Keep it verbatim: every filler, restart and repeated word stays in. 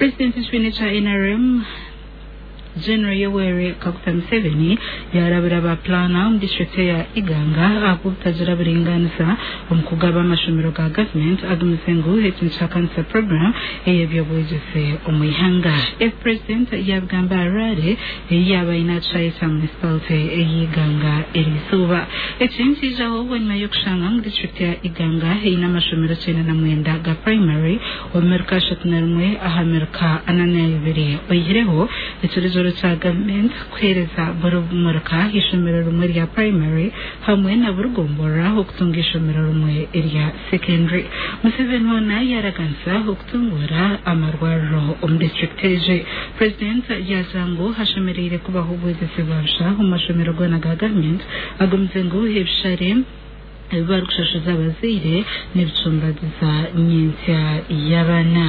Purezidenti w'ekibiina kya N R M General Yoweri Kaguta Museveni yarabira ba plana omu district ya Iganga ahabw'obutagira buringaaniza omu kugaba amashomero ga government agumize ngu eki nikihakanisa program ey'ebyobwegyese omu ihanga. Ebi President yabigamba Harare ei yaaba aine aha kishaayi kya municipality ey'Iganga eriizooba. Eki nikiijaho bwanyima y'okushanga ngu district ya Iganga eine amashomero kyenda na mwenda ga primary omu miruka ashatu na rimwe aha miruka ana na ibiri, oihireho ekiragiro kya government kuheereza buri muruka ishomero rimwe rya primary hamwe na buri gomborora okutunga ishomero rimwe erya secondary. Museveni hoona yaraganisa okutunguura amarwariro omu district egi. President yagira ngu hashemereire kubaho obwegyese bwa busha omu mashomero goona ga government, agumize ngu ebishare ebi barikushashuza abazaire n'ebicumbagiza nyentsya y'abaana.